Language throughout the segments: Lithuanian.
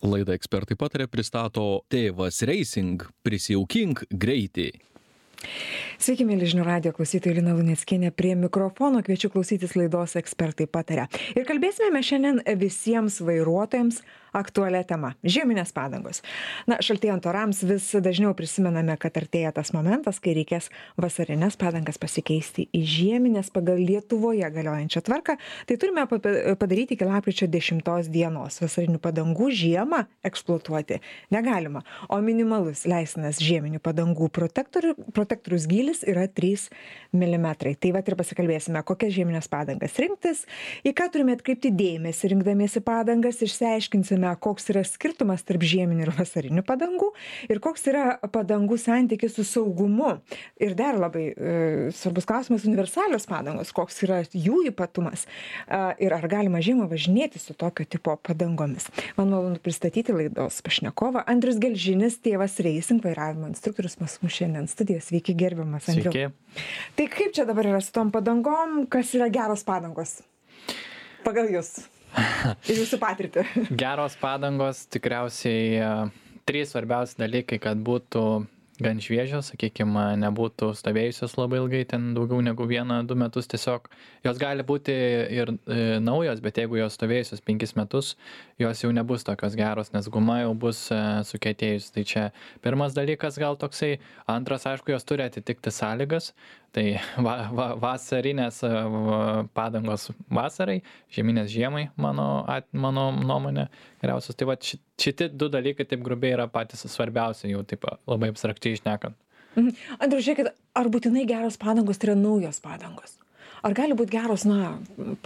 Laida Ekspertai pataria pristato Tėvas Racing. Prisijaukink greitį. Sveiki, mėly žinių radijo klausytojai, Lina Luneckienė prie mikrofono. Kviečiu klausytis laidos Ekspertai pataria. Ir kalbėsime mes šiandien visiems vairuotojams aktualią temą – žieminės padangos. Šaltėjant orams vis dažniau prisimename, kad artėja tas momentas, kai reikės vasarinės padangas pasikeisti į žieminės pagal Lietuvoje galiojančią tvarką. Tai turime padaryti iki lapkričio 10 dienos. Vasarinių padangų žiemą eksploatuoti negalima, o minimalus leistinas žieminių padangų protektorius gylis yra 3 mm. Tai vat ir pasikalbėsime, kokias žieminės padangas rinktis, į ką turime atkreipti dėmesį rinkdamiesi padangas, išsiaiškinsime, koks yra skirtumas tarp žieminių ir vasarinių padangų ir koks yra padangų santykis su saugumu. Ir dar labai svarbus klausimas – universalios padangos, koks yra jų ypatumas ir ar galima žiemą važinėti su tokio tipo padangomis. Man malonu pristatyti laidos pašnekovą Andrius Gelžinis, Tėvas Racing vairavimo instruktorius pas mus šiandien studijos. Sveiki, gerbiamas Andriau. Sveiki. Tai kaip čia dabar yra su tom padangom, kas yra geros padangos pagal jūs ir jūsų patirtį? Geros padangos tikriausiai 3 svarbiausi dalykai, kad būtų gan šviežios, sakykime, nebūtų stovėjusios labai ilgai, ten daugiau negu 1-2 metus tiesiog. Jos gali būti ir naujos, bet jeigu jos stovėjusios 5 metus, jos jau nebus tokios geros, nes guma jau bus sukietėjus. Tai čia pirmas dalykas gal toksai. Antras, aišku, jos turi atitikti sąlygas. Tai vasarinės padangos vasarai, žieminės žiemai, mano nuomonė geriausios. Tai va šitie 2 dalykai taip grubiai yra patys svarbiausi, jau taip labai abstrakčiai šnekant. Andriau, žiūrėkit, ar būtinai geros padangos tai yra naujos padangos? Ar gali būti geros,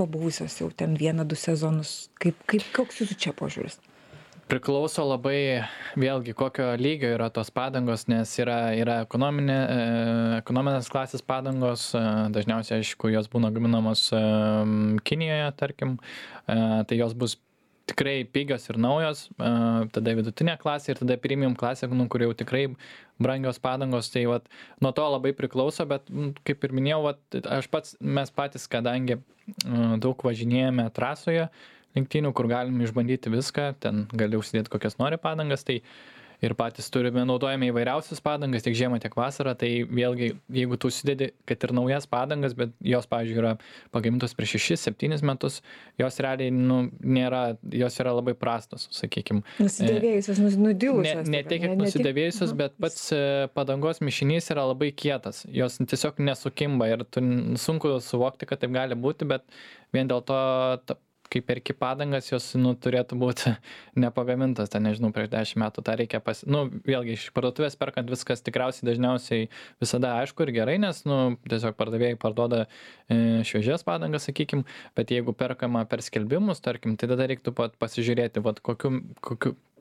pabuvusios jau ten 1-2 sezonus? Koks jūsų čia požiūris? Priklauso labai vėlgi kokio lygio yra tos padangos, nes yra ekonominės klasės padangos, dažniausiai, aišku, jos būna gaminamos Kinijoje, tarkim, tai jos bus tikrai pigios ir naujos, tada vidutinė klasė ir tada premium klasė, kur jau tikrai brangios padangos, tai vat, nuo to labai priklauso, bet kaip ir minėjau, mes patys, kadangi daug važinėjame trasoje, lenktynių, kur galim išbandyti viską, ten gali užsidėti kokias nori padangas, tai ir patys naudojame įvairiausias padangas, tiek žiemą, tiek vasarą, tai vėlgi, jeigu tu užsidedi, kad ir naujas padangas, bet jos, pavyzdžiui, yra pagamintos prieš 6-7 metus, jos realiai, jos yra labai prastos, sakykime. Nusidėvėjusios, nudilusios. Ne tiek, kiek nusidėvėjusios, bet pats padangos mišinys yra labai kietas, jos tiesiog nesukimba ir sunku suvokti, kad taip gali būti, bet vien dėl to kai perki padangas, jos turėtų būti nepagamintas, nežinau, prieš 10 metų, tą reikia vėlgi iš parduotuvės perkant viskas tikriausiai dažniausiai visada aišku ir gerai, nes tiesiog pardavėjai parduoda šviežias padangas, sakykim, bet jeigu perkama per skelbimus, tarkim, tai tada reiktų pasižiūrėti,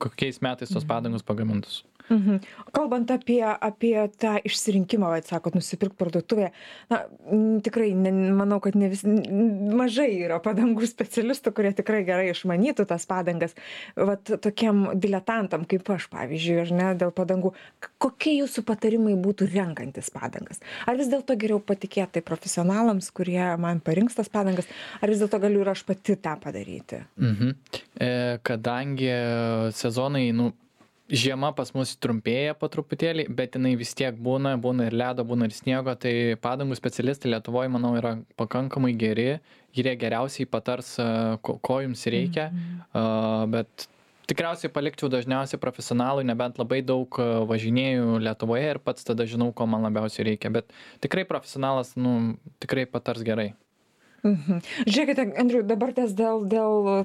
kokiais metais tos padangos pagamintos. Kalbant apie tą išsirinkimą, sakot, nusipirkt parduotuvėje, tikrai manau, kad mažai yra padangų specialistų, kurie tikrai gerai išmanytų tas padangas. Tokiem diletantam kaip aš, pavyzdžiui, ar ne, dėl padangų, kokie jūsų patarimai būtų renkantis padangas? Ar vis dėlto geriau patikėti profesionalams, kurie man parinks tas padangas, ar vis dėlto galiu ir aš pati tą padaryti? Kadangi sezonai, žiema pas mus trumpėja po truputėlį, bet jinai vis tiek būna ir ledo, būna ir sniego, tai padangų specialistai Lietuvoje, manau, yra pakankamai geri, jie geriausiai patars, ko jums reikia, bet tikriausiai palikčiau dažniausiai profesionalui, nebent labai daug važinėjų Lietuvoje ir pats tada žinau, ko man labiausiai reikia, bet tikrai profesionalas, tikrai patars gerai. Žiūrėkite, Andriu, dabar dėl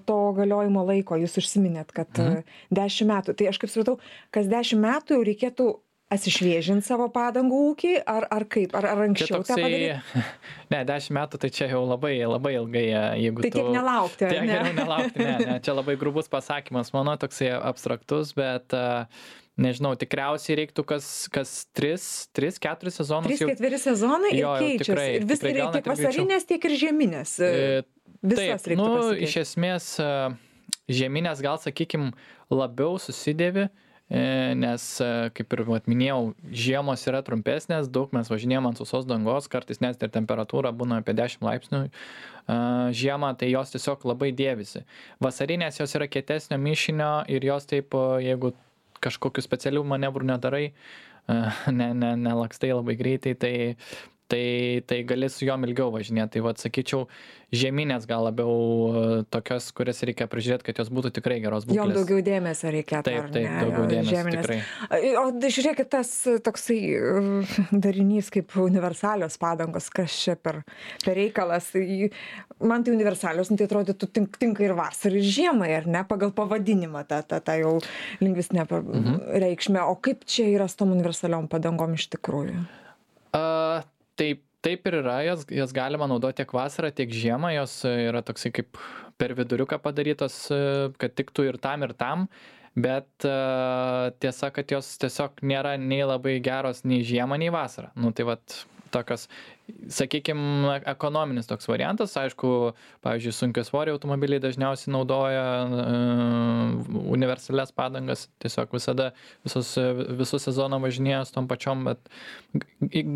to galiojimo laiko jūs užsiminėt, kad 10 metų. Tai aš kaip supratau, kas 10 metų jau reikėtų atsišviežinti savo padangų ūkį, ar kaip? Ar anksčiau tą padaryti? Ne, 10 metų tai čia jau labai ilgai, jeigu tai tiek nelaukti, ar ne? Tiek geriau nelaukti, ne. Čia labai grubus pasakymas, mano toksai abstraktus, bet nežinau, tikriausiai reiktų kas 3-4 sezonus. 3-4 sezonai ir keičiasi. Ir vis reikia tiek vasarinės, tiek ir žieminės. Visas reiktų pasikeisti. Iš esmės žieminės gal, sakykim, labiau susidėvi, nes, kaip ir minėjau, žiemos yra trumpesnės, daug mes važinėjom ant sausos dangos, kartais net ir temperatūra būna apie 10 laipsnių žiemą, tai jos tiesiog labai dėvisi. Vasarinės jos yra kietesnio mišinio ir jos taip, jeigu kažkokių specialių manevrų nedarai, nelakstai labai greitai, tai gali su jom ilgiau važinėti. Tai sakyčiau, žieminės gal labiau tokios, kurias reikia prižiūrėti, kad jos būtų tikrai geros būklės. Jom daugiau dėmesio reikia. Taip, daugiau dėmesio tikrai. O žiūrėkit, tas toksai darinys kaip universalios padangos, kas čia per reikalas. Man tai universalios, tai atrodytų tinka ir vasarai, ir žiemai, ar ne, pagal pavadinimą, tą jau lingvistinę reikšmę. O kaip čia yra su tom universaliom padangom iš tikrųjų? Taip ir yra, jas galima naudoti tiek vasarą, tiek žiemą, jos yra toksai kaip per viduriuką padarytos, kad tiktų ir tam, bet tiesa, kad jos tiesiog nėra nei labai geros nei žiemą, nei vasarą. Tai tokios, sakykime, ekonominis toks variantas, aišku, pavyzdžiui, sunkiasvoriai automobiliai dažniausiai naudoja universalias padangas, tiesiog visada visus sezoną važinėja su tom pačiom, bet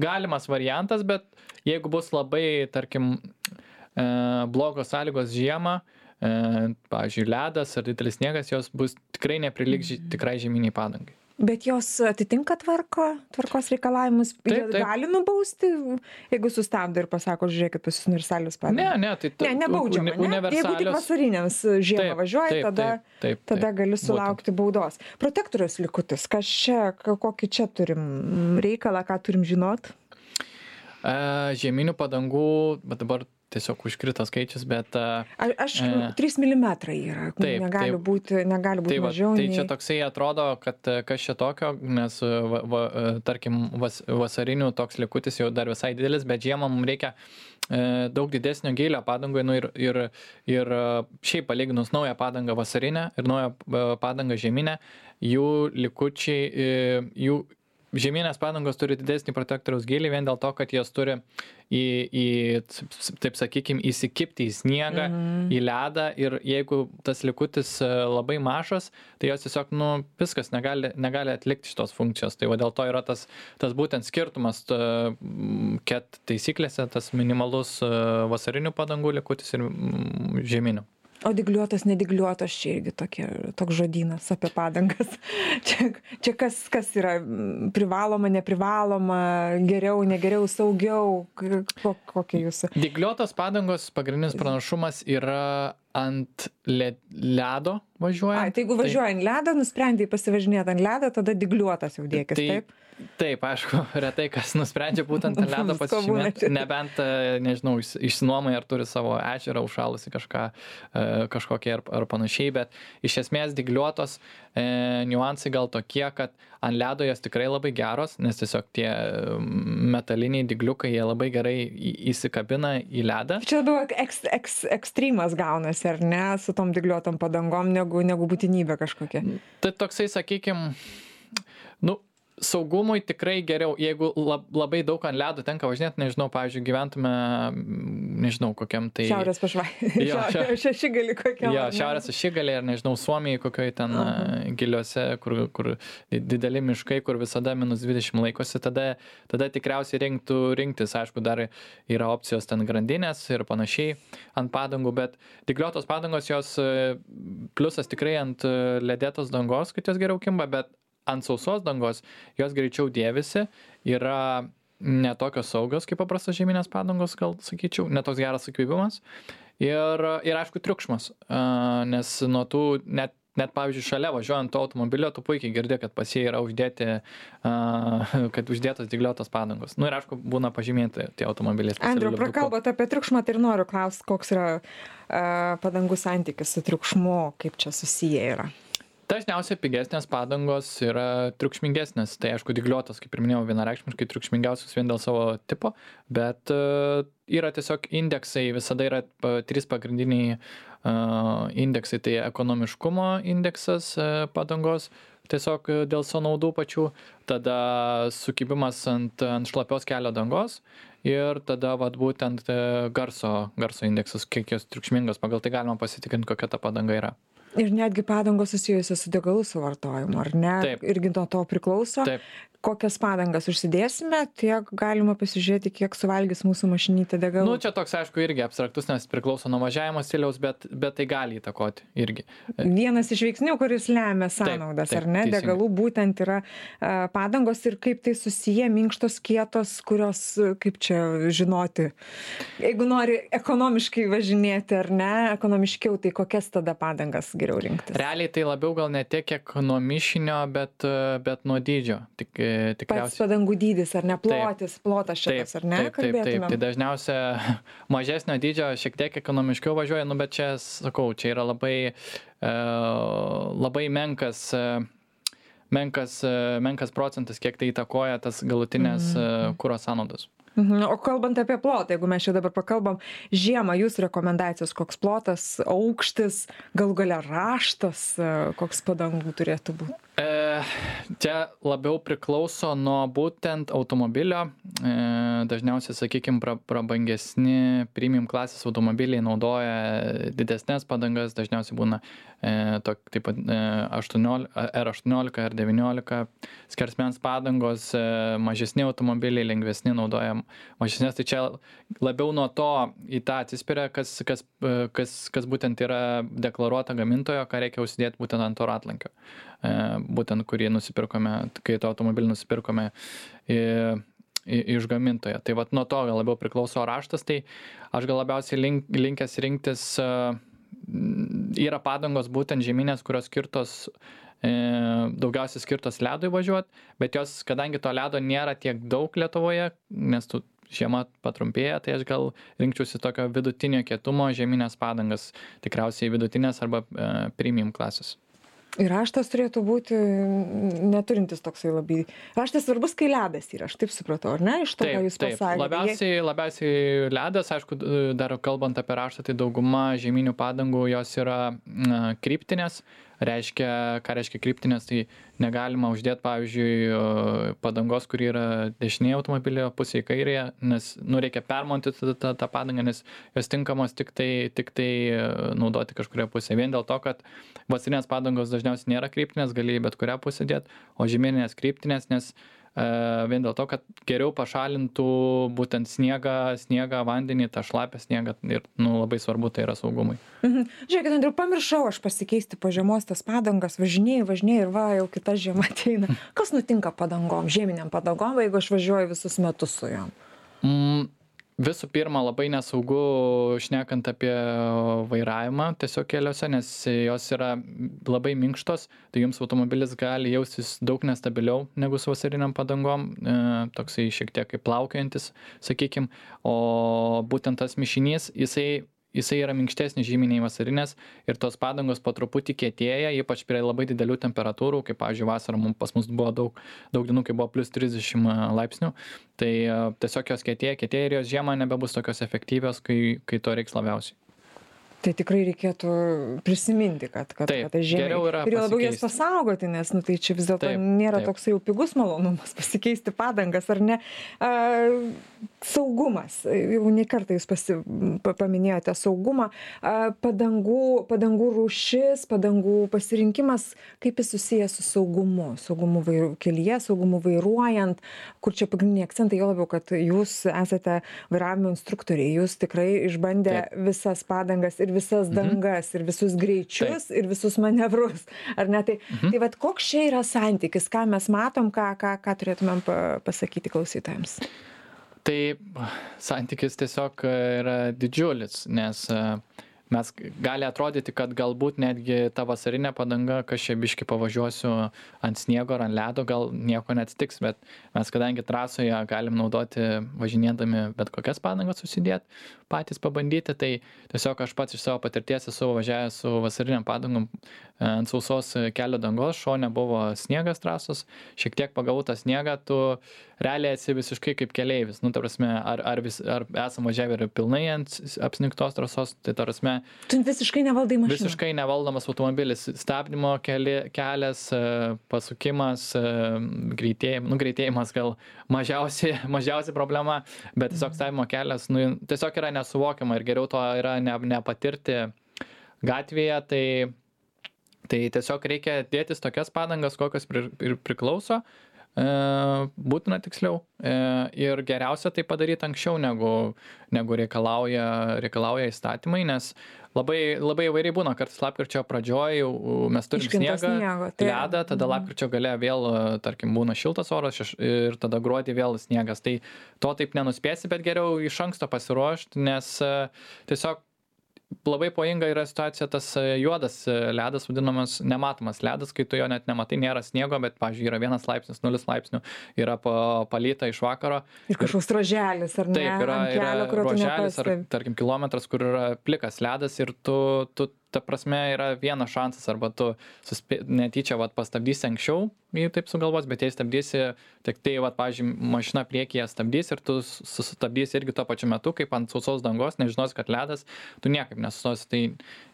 galimas variantas, bet jeigu bus labai, tarkim, blogos sąlygos žiemą, pavyzdžiui, ledas ar didelis sniegas, jos bus tikrai neprilygs tikrai žieminiai padangai. Bet jos atitinka tvarkos reikalavimus? Taip. Gali nubausti, jeigu sustabdo ir pasako, žiūrėkit, pas jūs universalius padangas? Ne, nebaudžiama, ne? Jeigu tik vasariniams žiemą važiuoja, tada gali sulaukti baudos. Protektoriaus likutis, kokį čia turim reikalą, ką turim žinot? Žieminių padangų, bet dabar tiesiog užkrito skaičius, bet... 3 mm yra, negali būti mažiau. Tai čia toksai atrodo, kad kas čia tokio, nes, tarkim, vasarinių toks likutis jau dar visai didelis, bet žiemą mums reikia daug didesnio gylio padangui, ir šiaip palyginus naują padangą vasarinę ir naują padangą žieminę, jų likučiai, jų žieminės padangos turi didesnį protektoriaus gylį vien dėl to, kad jos turi taip sakykime, įsikibti į sniegą, į ledą, ir jeigu tas likutis labai mažas, tai jos tiesiog, viskas negali atlikti šitos funkcijos. Tai dėl to yra tas būtent skirtumas ket taisyklėse, tas minimalus vasarinių padangų likutis ir žieminių. O dygliuotos, nedygliuotos, čia irgi toks žodynas apie padangas. Čia kas yra privaloma, neprivaloma, geriau, negeriau, saugiau, kokie jūsų? Dygliuotos padangos pagrindinis pranašumas yra ant ledo važiuojant. Tai jeigu važiuoja ant ledo, nusprendai pasivažinėti ant ledo, tada dygliuotas jau dėkis, taip? Taip, aišku, retai kas nusprendžia būtent ant ledo pasižymėti, nebent, nežinau, išsinuomai ar turi savo ežerą užšalusi kažkokie ar panašiai, bet iš esmės dygliuotos niuansai gal tokie, kad ant ledo jos tikrai labai geros, nes tiesiog tie metaliniai dygliukai, jie labai gerai įsikabina į ledą. Čia labiau ekstremas gaunasi, ar ne, su tom dygliuotom padangom, negu būtinybė kažkokia. Tai toksai, sakykime, saugumui tikrai geriau, jeigu labai daug ant ledo tenka važinėti, nežinau, pavyzdžiui, gyventume, nežinau, kokiam tai... Šiaurės pašvaitė. Šešigalį kokiam. Jo, šiaurės ašigalį, ar nežinau, Suomijai kokioj ten giliuose, kur dideli miškai, kur visada -20 laikosi, tada tikriausiai reiktų rinktis, aišku, dar yra opcijos ten grandinės ir panašiai ant padangų, bet dygliuotos padangos, jos pliusas tikrai ant ledėtos dangos, kad jos geriau kimba, bet ant sausos dangos jos greičiau dėvisi, yra netokios saugios kaip paprastos žieminės padangos, gal sakyčiau, netoks geras įkvėpimas ir aišku triukšmas, nes nuo tų net pavyzdžiui šalia važiuojant to automobilio, tu puikiai girdi, kad pas jį yra uždėtos dygliuotos padangos. Ir aišku, būna pažymėti tie automobiliai. Andriau, prakalbot apie triukšmą, tai ir noriu klausti, koks yra padangų santykis su triukšmu, kaip čia susiję yra. Dažniausiai pigesnės padangos yra triukšmingesnės. Tai aišku, dygliuotos, kaip ir minėjau, vienareikšmiškai triukšmingiausios vien dėl savo tipo, bet yra tiesiog indeksai, visada yra 3 pagrindiniai indeksai, tai ekonomiškumo indeksas padangos, tiesiog dėl sąnaudų pačių, tada sukibimas ant šlapios kelio dangos ir tada būtent garso indeksas, kiek jos triukšmingos, pagal tai galima pasitikrinti, kokia ta padanga yra. Ir netgi padangos susijusios su degalų suvartojimu, ar ne? Taip. Irgi nuo to priklauso. Taip. Kokias padangas užsidėsime, tiek galima pasižiūrėti, kiek suvalgys mūsų mašinytė degalų. Nu, čia toks, aišku, irgi abstraktus, nes priklauso nuo važiavimo stiliaus, bet tai gali įtakoti irgi. Vienas iš veiksnių, kuris lemia sąnaudas, ar ne? Teisingai. Degalų būtent yra padangos ir kaip tai susiję, minkštos, kietos, kurios, kaip čia žinoti, jeigu nori ekonomiškai važinėti, ar ne, ekonomiškiau, tai kokias tada padangas geriau rinktis? Realiai tai labiau gal ne tiek, kiek nuo mišinio, bet nuo dydžio. Pats padangų dydis, ar ne, plotas šitas, ar ne, kalbėtume? Tai dažniausia mažesnio dydžio šiek tiek ekonomiškiau važiuoja, nu, bet čia, sakau, čia yra labai menkas procentas, kiek tai įtakoja tas galutinės kuro sąnaudos. O kalbant apie plotą, jeigu mes čia dabar pakalbam, žiemą jūsų rekomendacijos, koks plotas, aukštis, galų gale raštas, koks padangų turėtų būti? Čia labiau priklauso nuo būtent automobilio. Dažniausiai, sakykime, prabangesni premium klasės automobiliai naudoja didesnės padangas, dažniausiai būna taip pat R18, R19 skersmens padangos, mažesni automobiliai, lengvesni naudoja mažesnės, tai čia labiau nuo to į tą atsispiria, kas būtent yra deklaruota gamintojo, ką reikia užsidėti būtent ant to ratlankio. Būtent kurį nusipirkome, kai to automobilį nusipirkome iš gamintojo. Tai vat nuo to labiau priklauso raštas, tai aš gal labiausiai linkęs rinktis, yra padangos būtent žieminės, kurios skirtos, daugiausiai skirtos ledui važiuoti, bet jos, kadangi to ledo nėra tiek daug Lietuvoje, nes žiema patrumpėja, tai aš gal rinkčiausi tokio vidutinio kietumo žieminės padangas, tikriausiai vidutinės arba premium klasės. Ir raštas turėtų būti neturintis toksai labai. Raštas svarbus, kai ledas yra, aš taip supratau, ar ne? Iš to, ką jūs pasakėte. Labiausiai ledas, aišku, dar kalbant apie raštą, tai dauguma žieminių padangų jos yra kryptinės. Ką reiškia kryptinės, tai negalima uždėti, pavyzdžiui, padangos, kuri yra dešinėje automobilio pusėje kairėje, nes reikia permontuoti tą padangą, nes jos tinkamos tik tai naudoti kažkurioje pusėje. Vien dėl to, kad vasarinės padangos dažniausiai nėra kryptinės, gali bet kurią pusę dėti, o žieminės kryptinės, nes vien dėl to, kad geriau pašalintų būtent sniegą, vandenį, tą šlapę sniegą ir labai svarbu tai yra saugumui. Žiūrėkit, Andriau, pamiršau aš pasikeisti po žiemos tas padangas, važinėjau ir jau kita žiema ateina. Kas nutinka padangom, žieminiam padangom, jeigu aš važiuoju visus metus su jom? Visų pirma, labai nesaugu šnekant apie vairavimą tiesiog keliuose, nes jos yra labai minkštos, tai jums automobilis gali jaustis daug nestabiliau negu su vasariniam padangom, toksai šiek tiek kaip plaukiojantis, sakykime, o būtent tas mišinys, jisai yra minkštesnis žymiai vasarinės ir tos padangos po truputį kietėja, ypač prie labai didelių temperatūrų, kaip, pavyzdžiui, vasarą pas mus buvo daug dienų, kai buvo plus 30 laipsnių, tai tiesiog jos kietėja ir jos žiemą nebebus tokios efektyvios, kai to reiks labiausiai. Tai tikrai reikėtų prisiminti, kad tai žiemai. Ir labiau jas pasaugoti, nes tai čia vis dėlto nėra toks jau pigus malonumas pasikeisti padangas, ar ne? Saugumas. Jau ne kartą jūs paminėjote saugumą. Padangų rūšis, padangų pasirinkimas, kaip jis susijęs su saugumu? Saugumu kelyje, saugumu vairuojant, kur čia pagrindiniai akcentai, jo labiau, kad jūs esate vairavimo instruktoriai, jūs tikrai išbandę visas padangas ir visas dangas, ir visus greičius, ir visus manevrus. Ar ne? Tai vat koks čia yra santykis, ką mes matom, ką turėtumėm pasakyti klausytojams? Tai santykis tiesiog yra didžiulis, nes mes gali atrodyti, kad galbūt netgi ta vasarinė padanga, kas čia biškį pavažiuosiu ant sniego ar ant ledo, gal nieko neatsitiks, bet mes kadangi trasoje galim naudoti važinėdami bet kokias padangas susidėti, patys pabandyti, tai tiesiog aš pats iš savo patirties esu važiavęs su vasariniam padangom ant sausos kelio dangos, šone buvo sniegas trasos, šiek tiek pagavau tą sniegą, tu realiai esi visiškai kaip keleivis, ta prasme, ar esam važiavę ir pilnai ant apsnigtos trasos, tai ta prasme, tu visiškai nevaldai mašiną. Visiškai nevaldomas automobilis, stabdymo kelias, pasukimas, greitėjimas gal mažiausia problema, bet tiesiog stabdymo kelias, tiesiog yra nesuvokiama ir geriau to yra nepatirti gatvėje, tai Tai tiesiog reikia dėtis tokias padangas, kokios priklauso, būtina tiksliau, ir geriausia tai padaryti anksčiau, negu reikalauja įstatymai, nes labai įvairiai būna, kartais lapkričio pradžioj mes turim sniegą, ledą, tada lapkričio gale vėl, tarkim, būna šiltas oras ir tada gruodį vėl sniegas. Tai to taip nenuspėsi, bet geriau iš anksto pasiruošti, nes tiesiog labai pavojinga yra situacija, tas juodas ledas, vadinamas nematomas ledas, kai tu jo net nematai, nėra sniego, bet, pavyzdžiui, yra 1 laipsnis, 0 laipsnių, yra palyta iš vakaro. Ir kažkoks ruoželis, ar ne? Taip, yra ruoželis, ar, tarkim, kilometras, kur yra plikas ledas ir tu ta prasme, yra vienas šansas, arba tu netyčia pastabdysi anksčiau, jei taip sugalvos, bet jei stabdysi, tik tai, pavyzdžiui, mašina priekyje stabdys ir tu sustabdysi irgi tuo pačiu metu, kaip ant sausos dangos, nežinosi, kad ledas, tu niekaip nesustosi, tai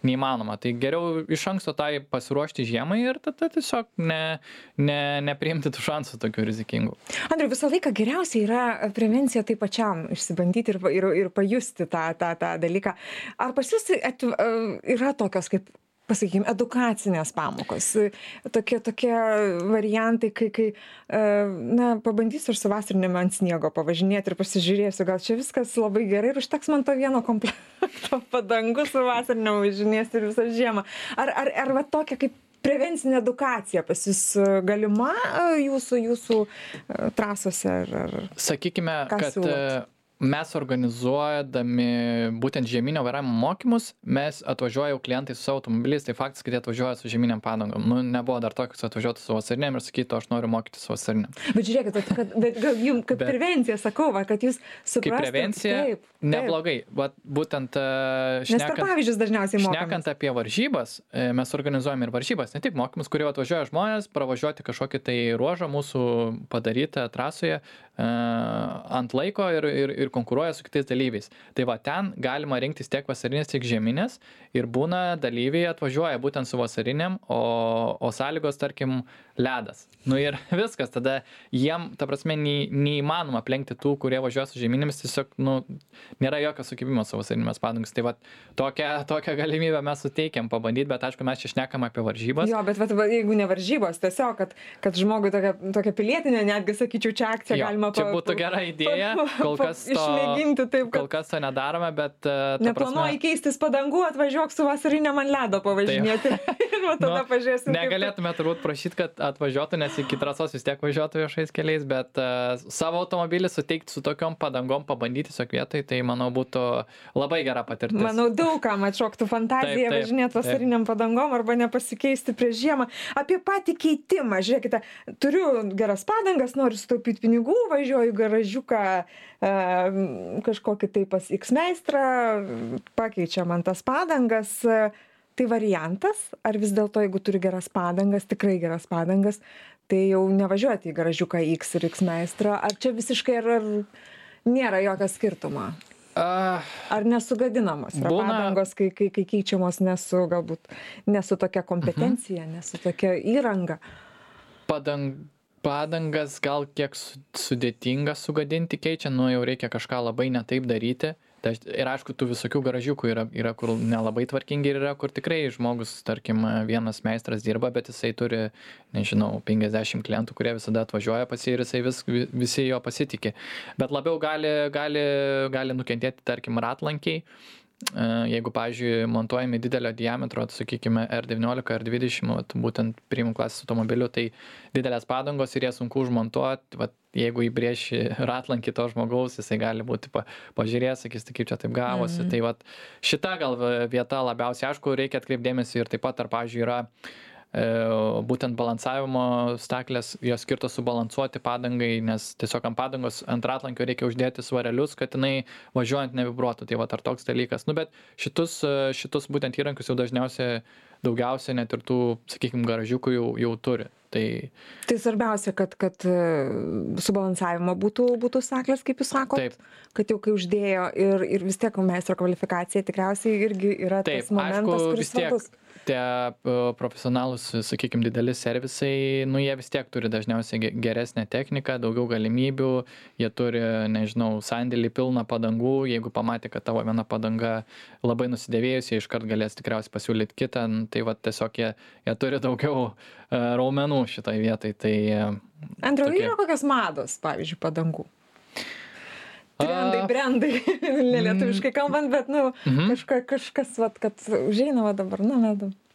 neįmanoma. Tai geriau iš anksto tai pasiruošti žiemai ir tada tiesiog nepriimti tų šansų tokių rizikingų. Andriau, visą laiką geriausia yra prevencija tai pačiam išsibandyti ir pajusti tą dalyką. Ar pas jūs yra tokios kaip, pasakykime, edukacinės pamokos, tokie variantai, kai pabandysiu ir su vasarinėm ant sniego pavažinėti ir pasižiūrėsiu, gal čia viskas labai gerai ir užteks man to vieno komplekto padangų su vasariniam važinėsiu ir visą žiemą. Ar va tokia kaip prevencinė edukacija pas jūs galima jūsų trasose? Sakykime, kad mes organizuodami būtent žieminio vairavimo mokymus, mes atvažiuoja jau klientai su savo automobiliais, tai faktas, kad jie atvažiuoja su žieminiam padangom. Nebuvo dar tokius atvažiuotų su vasariniam ir sakytų, aš noriu mokyti su vasariniam. Bet žiūrėkit, bet gal jums kaip prevencija, sakau, kad jūs suprastumėte. Kaip prevencija, neblogai. Būtent šnekant apie varžybas, mes organizuojame ir varžybas, ne tik mokymus, kurie atvažiuoja žmonės pravažiuoti kažkokį tai ruožą mūsų padarytą trasoje ant laiko ir konkuruoja su kitais dalyviais. Tai va, ten galima rinktis tiek vasarinės, tiek žieminės ir būna dalyviai atvažiuoja būtent su vasariniam, o sąlygos, tarkim, ledas. Ir viskas, tada jiem, ta prasme, neįmanoma aplenkti tų, kurie važiuoja su žieminėmis, tiesiog, nėra jokio sukibimo su vasarinėmis padangomis. Tai va, tokią galimybę mes suteikiam pabandyti, bet aišku, mes čia šnekam apie varžybas. Jo, bet jeigu ne varžybos, tiesiog, kad žmogui tokia pilietinė, netgi sakyčiau, čia akcija galima čia būtų gera idėja, kol kas to nedarome, bet neplanuoji keistis padangų, atvažiuok su vasariniam ant ledo pavažinėti ir tada pažiūrėsim. Negalėtume turbūt prašyti, kad atvažiuotų, nes iki trasos vis tiek važiuotų viešais keliais, bet savo automobilį suteikti su tokiom padangom, pabandyti tiesiog vietoj, tai manau būtų labai gera patirtis. Manau, daugam atšoktų fantazija važinėti vasariniam padangom arba nepasikeisti prieš žiemą. Apie patį keitimą, žiūrėkite, turiu geras padangas, noriu sutaupyti pinigų, važiuoju garažiuką kažkokį tai pas X meistrą, pakeičia man tas padangas. Tai variantas, ar vis dėlto, jeigu turi geras padangas, tikrai geras padangas, tai jau nevažiuoti į garažiuką X ir X meistrą, ar čia visiškai ar nėra jokio skirtumo? Ar nesugadinamos yra padangos, kai keičiamos galbūt nesu tokia kompetencija, nesu tokia įranga? Padangas gal kiek sudėtinga sugadinti keičia, jau reikia kažką labai netaip daryti. Ir aišku, tų visokių garažiukų yra, kur nelabai tvarkingi ir yra, kur tikrai žmogus, tarkim, vienas meistras dirba, bet jisai turi, nežinau, 50 klientų, kurie visada atvažiuoja pas jį ir jisai visi jo pasitikė. Bet labiau gali nukentėti, tarkim, ratlankiai. Jeigu, pavyzdžiui, montuojami didelio diametro, sakykime, R19, R20, būtent premium klasės automobilių, tai didelės padangos ir jie sunku užmontuoti. Jeigu įbrėši ratlankį to žmogaus, jisai gali būti pažiūrėjęs, sakys, tai kaip čia taip gavosi. Tai šita gal vieta labiausiai, aišku, reikia atkreipdėmėsi ir taip pat, ar, pavyzdžiui, yra būtent balansavimo staklės, jos skirtos subalansuoti padangai, nes tiesiog ant padangos, ant ratlankio reikia uždėti svarelius, kad jinai važiuojant nevibruotų. Tai ar toks dalykas. Bet šitus būtent įrankius jau daugiausia net ir tų, sakykime, garažiukų jau turi. Tai svarbiausia, kad subalansavimo būtų staklės, kaip jūs sakot, taip. Kad jau kai uždėjo ir vis tiek meistro kvalifikacija tikriausiai irgi yra tas momentas, kuris svarbus. tie profesionalūs, sakykime, dideli servisai, nu jie vis tiek turi dažniausiai geresnę techniką, daugiau galimybių, jie turi, nežinau, sandėlį pilną padangų, jeigu pamatė, kad tavo viena padanga labai nusidėvėjusi, jie iškart galės tikriausiai pasiūlyti kitą, tai va tiesiog jie turi daugiau raumenų šitoj vietoj. Tai, Andriau, yra kokios mados, pavyzdžiui, padangų? Brandai, nelietuviškai kalbant, bet, kažkas, vat, kad užeina va dabar,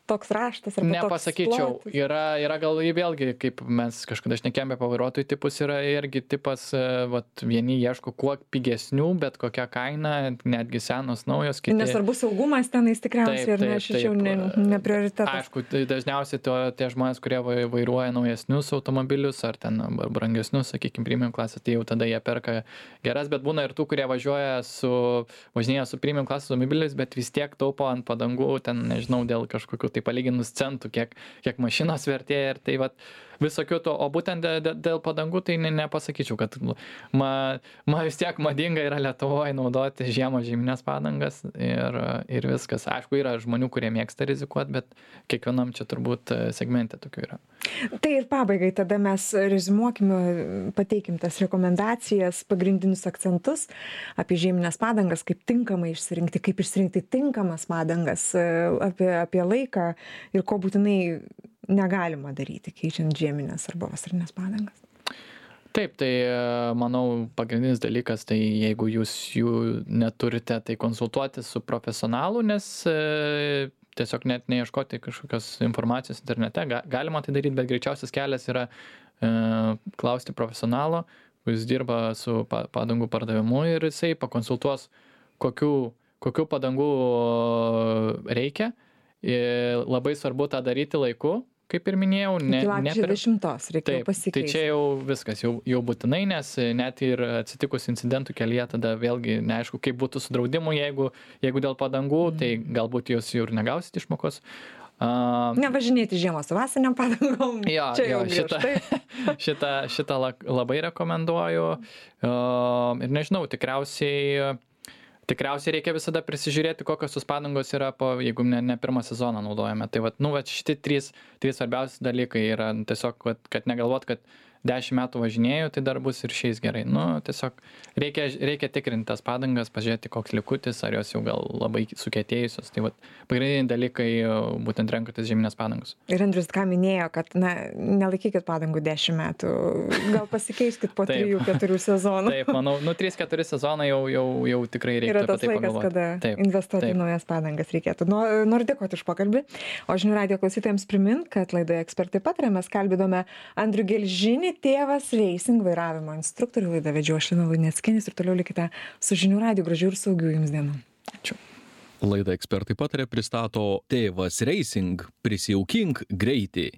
toks raštas arba nepasakyčiau, toks yra gal vėlgi, kaip mes kažkada šnekėjome apie vairuotojų tipus, yra irgi tipas, vat, vieni ieško kuo pigesnių, bet kokia kaina, netgi senos, naujos, kiti. Nesvarbu saugumas tenais tikriausiai, ir šičiau ne prioritetas. Aišku, dažniausiai tie žmonės, kurie vairuoja naujesnius automobilius, ar ten brangesnius, sakykime, premium klasės, tai jau tada jie perka geras, bet būna ir tų, kurie važinėja su premium klasės automobiliais, bet vis tiek taupo ant padangų, ten, nežinau, dėl kažkokių tai palyginus centų, kiek mašinos vertėja ir tai vat visokių to, o būtent dėl padangų tai nepasakyčiau, kad vis tiek madinga yra Lietuvoje naudoti žieminės padangas ir viskas. Aišku, yra žmonių, kurie mėgsta rizikuoti, bet kiekvienam čia turbūt segmente tokių yra. Tai ir pabaigai tada mes rezimuokime, pateikim tas rekomendacijas, pagrindinius akcentus apie žieminės padangas, kaip tinkamai išsirinkti, kaip išsirinkti tinkamas padangas, apie laiką ir ko būtinai negalima daryti, keičiant žieminės arba vasarinės padangas. Taip, tai manau pagrindinis dalykas, tai jeigu jūs jų neturite, tai konsultuotis su profesionalu, nes tiesiog net neieškoti kažkokios informacijos internete, galima tai daryti, bet greičiausias kelias yra klausti profesionalo, kuris dirba su padangų pardavimu ir jisai pakonsultuos, kokių padangų reikia. Ir labai svarbu tą daryti laiku, kaip ir minėjau. Iki lapkričio 10 reikia pasikeisti. Tai čia jau viskas, jau būtinai, nes net ir atsitikus incidentų kelyje, tada vėlgi neaišku, kaip būtų su draudimu, jeigu dėl padangų, tai galbūt jūs jau ir negausit išmokos. Nevažinėti žiemą su vasariniam padangom. Šitą labai rekomenduoju. Ir nežinau, tikriausiai reikia visada prisižiūrėti, kokios tos padangos yra, jeigu ne pirmą sezoną naudojame. Tai šitie trys svarbiausi dalykai yra tiesiog, kad negalvot, kad 10 metų važinėjau, tai dar bus ir šiais gerai. Tiesiog reikia tikrinti tas padangas, pažiūrėti, koks likutis, ar jos jau gal labai sukietėjusios. Tai pagrindiniai dalykai būtent renkantis žieminės padangos. Ir Andrius ką minėjo, kad nelaikykit padangų 10 metų, gal pasikeiskit po 3-4 sezonų. Taip, manau, 3-4 sezonai jau tikrai reikia. Yra tas laikas, kada investuoti į naujas padangas reikėtų. Noriu dėkoti už pokalbį. O žinių radijo klausytojams primint, kad laidoje Ekspertai pataria mes kalbinome Andrių Gelžinį, tėvas racing vairavimo instruktorių. Laidą vedžiau aš Lina Luneckienė ir toliau likite su žinių radiju. Gražių ir saugių jums dienų. Ačiū. Laidą Ekspertai pataria pristato tėvas racing. Prisijaukink greitį.